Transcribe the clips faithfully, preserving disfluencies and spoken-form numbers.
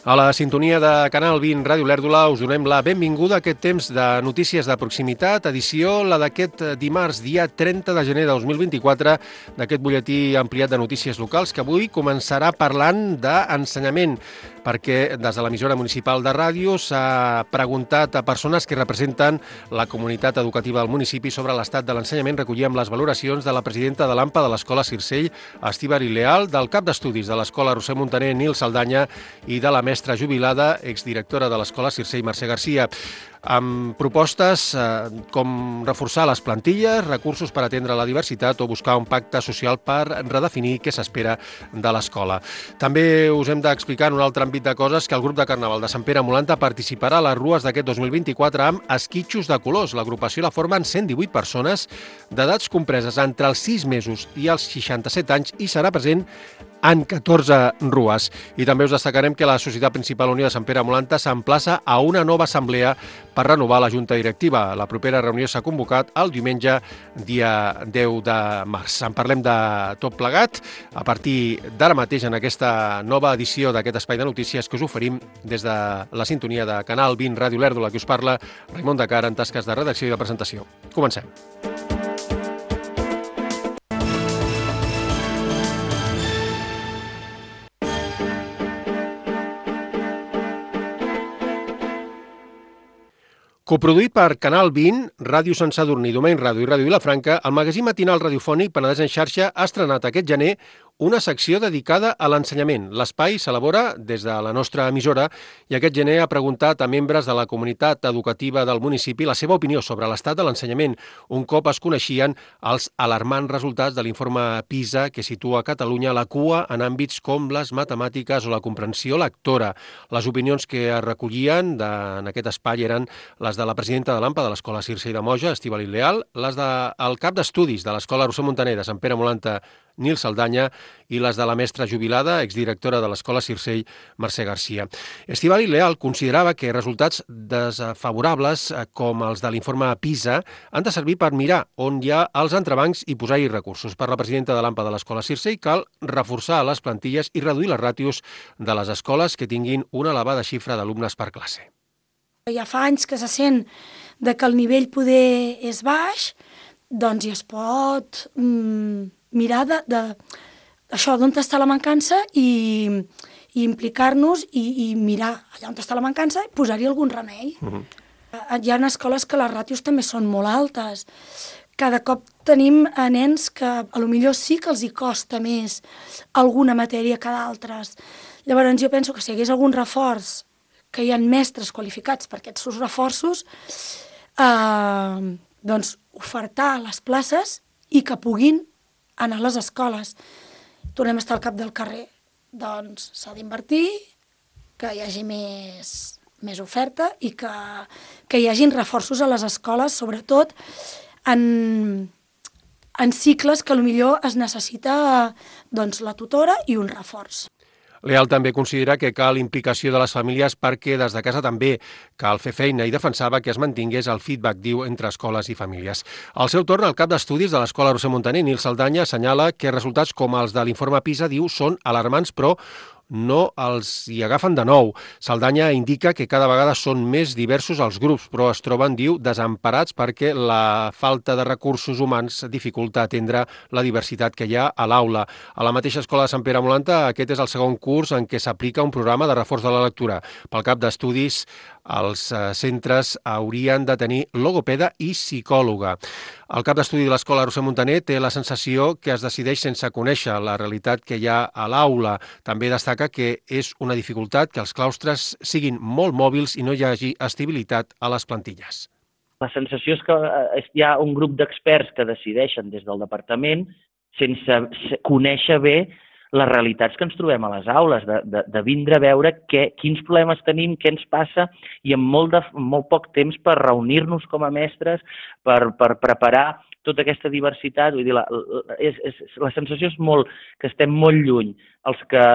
A la sintonia de Canal vint Ràdio Lèrdula us donem la benvinguda a aquest temps de notícies de proximitat, edició la d'aquest dimarts, dia trenta de gener de dos mil vint-i-quatre, d'aquest butlletí ampliat de notícies locals que avui començarà parlant d'ensenyament, perquè des de l'emissora municipal de ràdio s'ha preguntat a persones que representen la comunitat educativa del municipi sobre l'estat de l'ensenyament. Recollíem les valoracions de la presidenta de l'AMPA de l'Escola Circell, Estíbaliz Leal, del cap d'estudis de l'Escola Roser Muntaner, Nil Saldanya, i de la mestra jubilada, exdirectora de l'Escola Circell, Mercè Garcia, amb propostes eh, com reforçar les plantilles, recursos per atendre la diversitat o buscar un pacte social per redefinir què s'espera de l'escola. També us hem d'explicar en un altre àmbit de coses que el grup de Carnaval de Sant Pere Molanta participarà a les rues d'aquest dos mil vint-i-quatre amb esquitxos de colors. L'agrupació la formen cent divuit persones d'edats compreses entre els sis mesos i els seixanta-set anys i serà present en catorze rues. I també us destacarem que la Societat Principal Unió de Sant Pere Molanta s'emplaça a una nova assemblea per renovar la Junta Directiva. La propera reunió s'ha convocat el diumenge, dia deu de març. En parlem de tot plegat a partir d'ara mateix en aquesta nova edició d'aquest espai de notícies que us oferim des de la sintonia de Canal vint Ràdio Lèrdula, que us parla Raimon de Cara en tasques de redacció i de presentació. Comencem. Coproduït per Canal vint, Ràdio Sant Sadurní, Domeny Ràdio i Ràdio Vilafranca, el magazín matinal radiofònic Penedès en xarxa ha estrenat aquest gener una secció dedicada a l'ensenyament. L'espai s'elabora des de la nostra emissora i aquest gener ha preguntat a membres de la comunitat educativa del municipi la seva opinió sobre l'estat de l'ensenyament, un cop es coneixien els alarmants resultats de l'informe PISA que situa Catalunya a la cua en àmbits com les matemàtiques o la comprensió lectora. Les opinions que es recollien de, en aquest espai eren les de la presidenta de l'AMPA de l'Escola Circell de Moja, Estíbaliz Leal, les del cap d'estudis de l'Escola Roser Muntaner de Sant Pere Molanta, Nil Saldanya, i les de la mestra jubilada, exdirectora de l'Escola Circell, Mercè Garcia. Estíbaliz Leal considerava que resultats desfavorables, com els de l'informe PISA, han de servir per mirar on hi ha els entrebancs i posar-hi recursos. Per la presidenta de l'AMPA de l'Escola Circell cal reforçar les plantilles i reduir les ràtios de les escoles que tinguin una elevada xifra d'alumnes per classe. Ja fa anys que se sent de que el nivell poder és baix, doncs ja es pot mm, mirar de, de, això d'on està la mancança i, i implicar-nos i, i mirar allà on està la mancança i posar-hi algun remei. Uh-huh. Hi ha escoles que les ràtios també són molt altes. Cada cop tenim nens que a lo millor sí que els hi costa més alguna matèria que d'altres. Llavors jo penso que si hi hagués algun reforç, que hi ha mestres qualificats per aquests seus reforços, eh, doncs ofertar les places i que puguin anar a les escoles. Tornem a estar al cap del carrer. Doncs s'ha d'invertir, que hi hagi més, més oferta i que, que hi hagin reforços a les escoles, sobretot en, en cicles que potser es necessita doncs, la tutora i un reforç. Leal també considera que cal implicació de les famílies perquè des de casa també cal fer feina i defensava que es mantingués el feedback, diu, entre escoles i famílies. Al seu torn, el cap d'estudis de l'Escola Roser Muntaner, Nil Saldanya, assenyala que resultats com els de l'informe PISA, diu, són alarmants, però no els hi agafen de nou. Saldanya indica que cada vegada són més diversos els grups, però es troben, diu, desemparats perquè la falta de recursos humans dificulta atendre la diversitat que hi ha a l'aula. A la mateixa escola de Sant Pere Molanta, aquest és el segon curs en què s'aplica un programa de reforç de la lectura. Pel cap d'estudis, els centres haurien de tenir logopeda i psicòloga. El cap d'estudi de l'Escola Roser Muntaner té la sensació que es decideix sense conèixer la realitat que hi ha a l'aula. També destaca que és una dificultat que els claustres siguin molt mòbils i no hi hagi estabilitat a les plantilles. La sensació és que hi ha un grup d'experts que decideixen des del departament sense conèixer bé les realitats que ens trobem a les aules, de, de, de vindre a veure què, quins problemes tenim, què ens passa, i amb molt, de, molt poc temps per reunir-nos com a mestres, per, per preparar tota aquesta diversitat. Vull dir, la, és, és, la sensació és molt que estem molt lluny, els que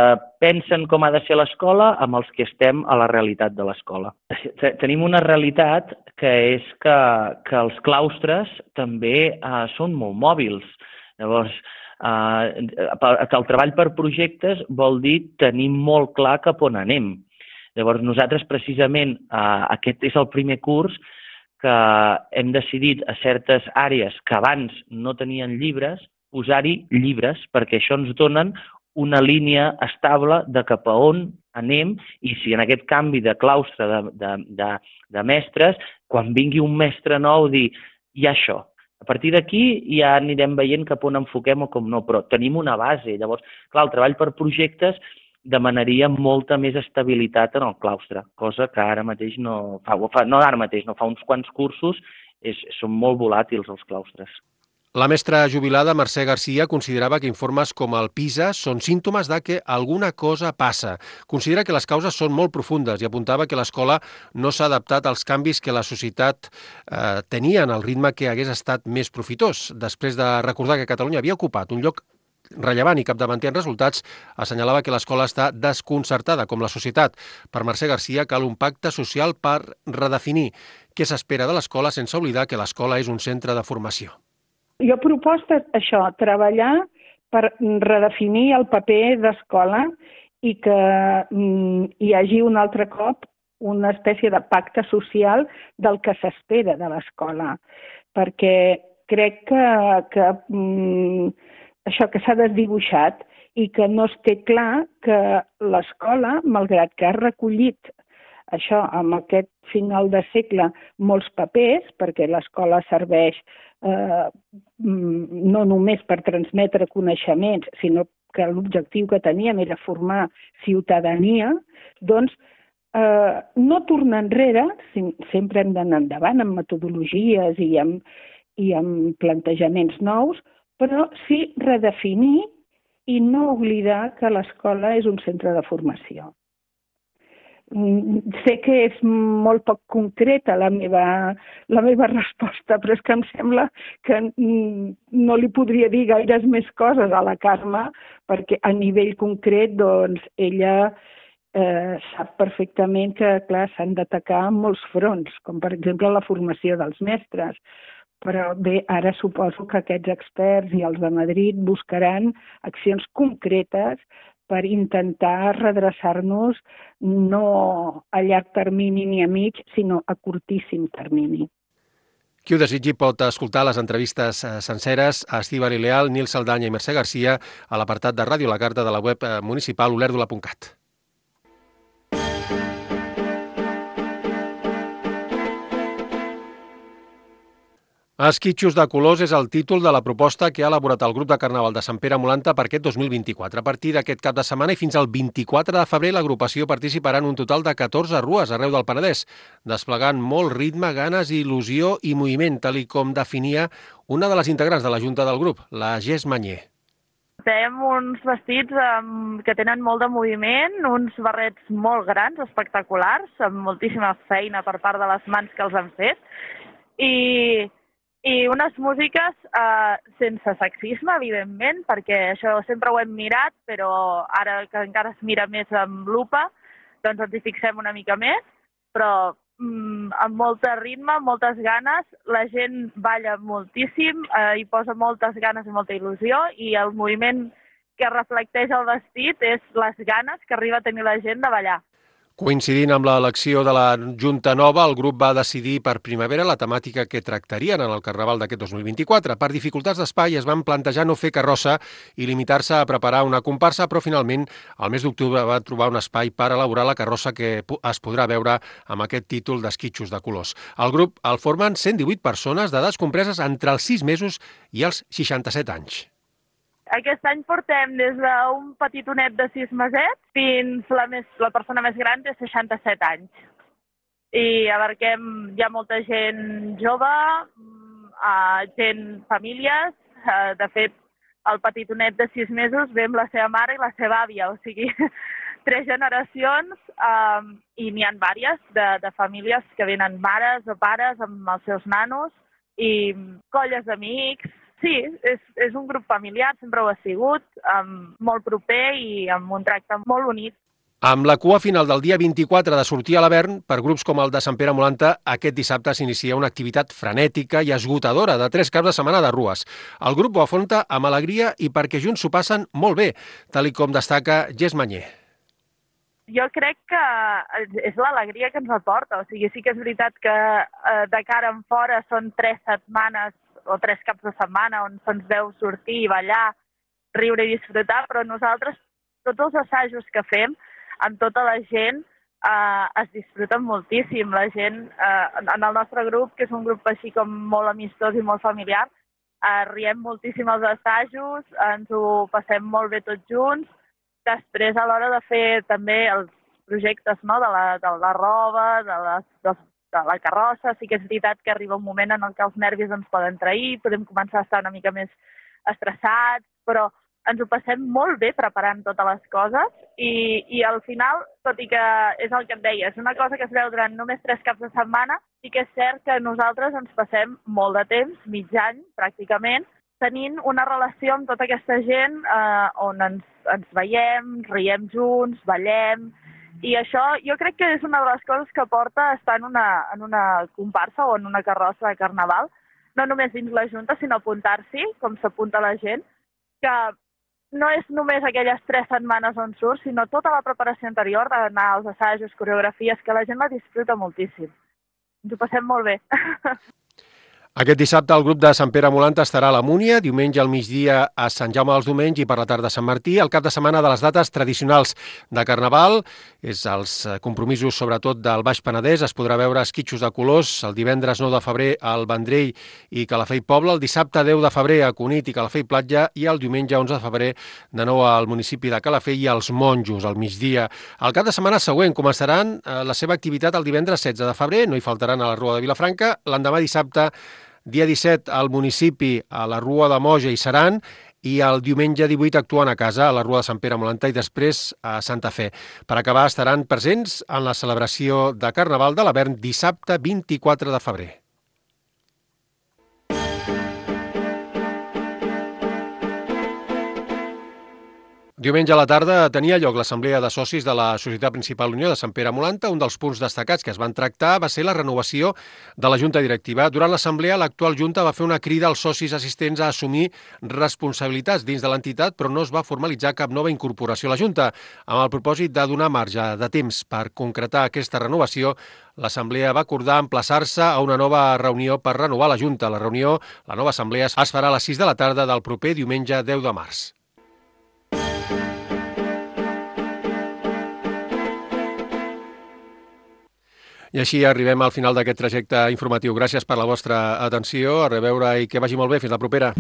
pensen com ha de ser l'escola amb els que estem a la realitat de l'escola. Tenim una realitat que és que, que els claustres també eh, són molt mòbils. Llavors, Uh, que el treball per projectes vol dir tenir molt clar cap on anem. Llavors, nosaltres precisament, eh, aquest és el primer curs que hem decidit a certes àrees que abans no tenien llibres, posar-hi llibres, perquè això ens donen una línia estable de cap a on anem i si en aquest canvi de claustre de, de, de, de mestres, quan vingui un mestre nou, dir, hi ha això. A partir d'aquí ja anirem veient cap on enfoquem o com no, però tenim una base. Llavors, clar, el treball per projectes demanaria molta més estabilitat en el claustre, cosa que ara mateix no fa, fa no ara mateix, no fa uns quants cursos, és, són molt volàtils els claustres. La mestra jubilada Mercè Garcia considerava que informes com el PISA són símptomes de que alguna cosa passa. Considera que les causes són molt profundes i apuntava que l'escola no s'ha adaptat als canvis que la societat eh, tenia en el ritme que hagués estat més profitós. Després de recordar que Catalunya havia ocupat un lloc rellevant i capdavanter en resultats, assenyalava que l'escola està desconcertada com la societat. Per Mercè Garcia cal un pacte social per redefinir què s'espera de l'escola sense oblidar que l'escola és un centre de formació. Jo proposta això, treballar per redefinir el paper d'escola i que mm, hi hagi un altre cop una espècie de pacte social del que s'espera de l'escola, perquè crec que, que mm, això que s'ha desdibuixat i que no es té clar que l'escola, malgrat que ha recollit això, amb aquest final de segle, molts papers, perquè l'escola serveix eh, no només per transmetre coneixements, sinó que l'objectiu que teníem era formar ciutadania, doncs eh, no tornar enrere, sempre hem d'anar endavant amb metodologies i amb, i amb plantejaments nous, però sí redefinir i no oblidar que l'escola és un centre de formació. Sé que és molt poc concreta la meva, la meva resposta, però és que em sembla que no li podria dir gaires més coses a la Carme, perquè a nivell concret doncs, ella eh, sap perfectament que clar, s'han d'atacar molts fronts, com per exemple la formació dels mestres. Però bé, ara suposo que aquests experts i els de Madrid buscaran accions concretes per intentar redreçar-nos no a llarg termini ni a mig, sinó a curtíssim termini. Qui ho desitgi pot escoltar les entrevistes senceres a Estíbaliz Leal, Nil Saldanya i Mercè Garcia a l'apartat de Ràdio La Carta de la web municipal olerdula punt cat. Esquitxos de colors és el títol de la proposta que ha elaborat el grup de Carnaval de Sant Pere Molanta per aquest dos mil vint-i-quatre. A partir d'aquest cap de setmana i fins al vint-i-quatre de febrer, l'agrupació participarà en un total de catorze rues arreu del Penedès, desplegant molt ritme, ganes, il·lusió i moviment, tal i com definia una de les integrants de la junta del grup, la Jess Mañé. Portem uns vestits um, que tenen molt de moviment, uns barrets molt grans, espectaculars, amb moltíssima feina per part de les mans que els han fet, i... I unes músiques eh, sense sexisme, evidentment, perquè això sempre ho hem mirat, però ara que encara es mira més amb lupa, doncs ens hi fixem una mica més, però mm, amb molt ritme, moltes ganes, la gent balla moltíssim, eh, hi posa moltes ganes i molta il·lusió, i el moviment que reflecteix el vestit és les ganes que arriba a tenir la gent de ballar. Coincidint amb l'elecció de la Junta Nova, el grup va decidir per primavera la temàtica que tractarien en el Carnaval d'aquest dos mil vint-i-quatre. Per dificultats d'espai es van plantejar no fer carrossa i limitar-se a preparar una comparsa, però finalment al mes d'octubre va trobar un espai per elaborar la carrossa que es podrà veure amb aquest títol d'Esquitxos de colors. El grup el formen cent divuit persones d'edats compreses entre els sis mesos i els seixanta-set anys. Aquest any portem des d'un petitonet de sis mesets fins la, més, la persona més gran de seixanta-set anys. I abarquem ja molta gent jove, gent, famílies. De fet, el petitonet de sis mesos ve amb la seva mare i la seva àvia, o sigui, tres generacions, um, i n'hi ha vàries de, de famílies que venen mares o pares amb els seus nanos i colles d'amics. Sí, és, és un grup familiar, sempre ho ha sigut, um, molt proper i amb un tracte molt bonic. Amb la cua final del dia vint-i-quatre de sortir a l'Avern, per grups com el de Sant Pere Molanta, aquest dissabte s'inicia una activitat frenètica i esgotadora de tres caps de setmana de rues. El grup ho afronta amb alegria i perquè junts s'ho passen molt bé, tal i com destaca Jess Mañé. jo crec que és l'alegria que ens aporta. O sigui, sí que és veritat que eh, de cara en fora són tres setmanes o tres caps de setmana on se'ns veu sortir, ballar, riure i disfrutar, però nosaltres, tots els assajos que fem, amb tota la gent, eh, es disfruten moltíssim. La gent, eh, en el nostre grup, que és un grup així com molt amistós i molt familiar, eh, riem moltíssim als assajos, ens ho passem molt bé tots junts. Després, a l'hora de fer també els projectes, no?, de, la, de la roba, de, les, de, de la carrossa, sí que és veritat que arriba un moment en el que els nervis ens poden trair, podem començar a estar una mica més estressats, però ens ho passem molt bé preparant totes les coses i, i al final, tot i que és el que et deia, és una cosa que es veu durant només tres caps de setmana, sí que és cert que nosaltres ens passem molt de temps, mig any pràcticament, tenint una relació amb tota aquesta gent eh, on ens, ens veiem, riem junts, ballem, i això jo crec que és una de les coses que porta estar en una, en una comparsa o en una carrossa de carnaval, no només dins la Junta, sinó apuntar-s'hi, com s'apunta la gent, que no és només aquelles tres setmanes on surt, sinó tota la preparació anterior d'anar als assajos, coreografies, que la gent la disfruta moltíssim. Ens ho passem molt bé. Aquest dissabte el grup de Sant Pere Molanta estarà a la Múnia, diumenge al migdia a Sant Jaume dels Domenys i per la tarda a Sant Martí. El cap de setmana de les dates tradicionals de Carnaval és els compromisos sobretot del Baix Penedès. Es podrà veure esquitxos de colors el divendres nou de febrer al Vendrell i Calafell Poble, el dissabte deu de febrer a Cunit i Calafell Platja i el diumenge onze de febrer de nou al municipi de Calafell i als Monjos al migdia. El cap de setmana següent començaran la seva activitat el divendres setze de febrer, no hi faltaran a la Rua de Vilafranca, l'endemà dissabte dia disset al municipi, a la Rua de Moja i Seran, i el diumenge divuit actuen a casa, a la Rua de Sant Pere Molanta i després a Santa Fe. Per acabar, estaran presents en la celebració de Carnaval de l'Avern dissabte vint-i-quatre de febrer. Diumenge a la tarda tenia lloc l'assemblea de socis de la Societat Principal Unió de Sant Pere Molanta. Un dels punts destacats que es van tractar va ser la renovació de la Junta Directiva. Durant l'assemblea, l'actual Junta va fer una crida als socis assistents a assumir responsabilitats dins de l'entitat, però no es va formalitzar cap nova incorporació a la Junta. Amb el propòsit de donar marge de temps per concretar aquesta renovació, l'assemblea va acordar emplaçar-se a una nova reunió per renovar la Junta. La reunió, la nova assemblea, es farà a les sis de la tarda del proper diumenge deu de març. I així arribem al final d'aquest trajecte informatiu. Gràcies per la vostra atenció. A reveure i que vagi molt bé. Fins la propera.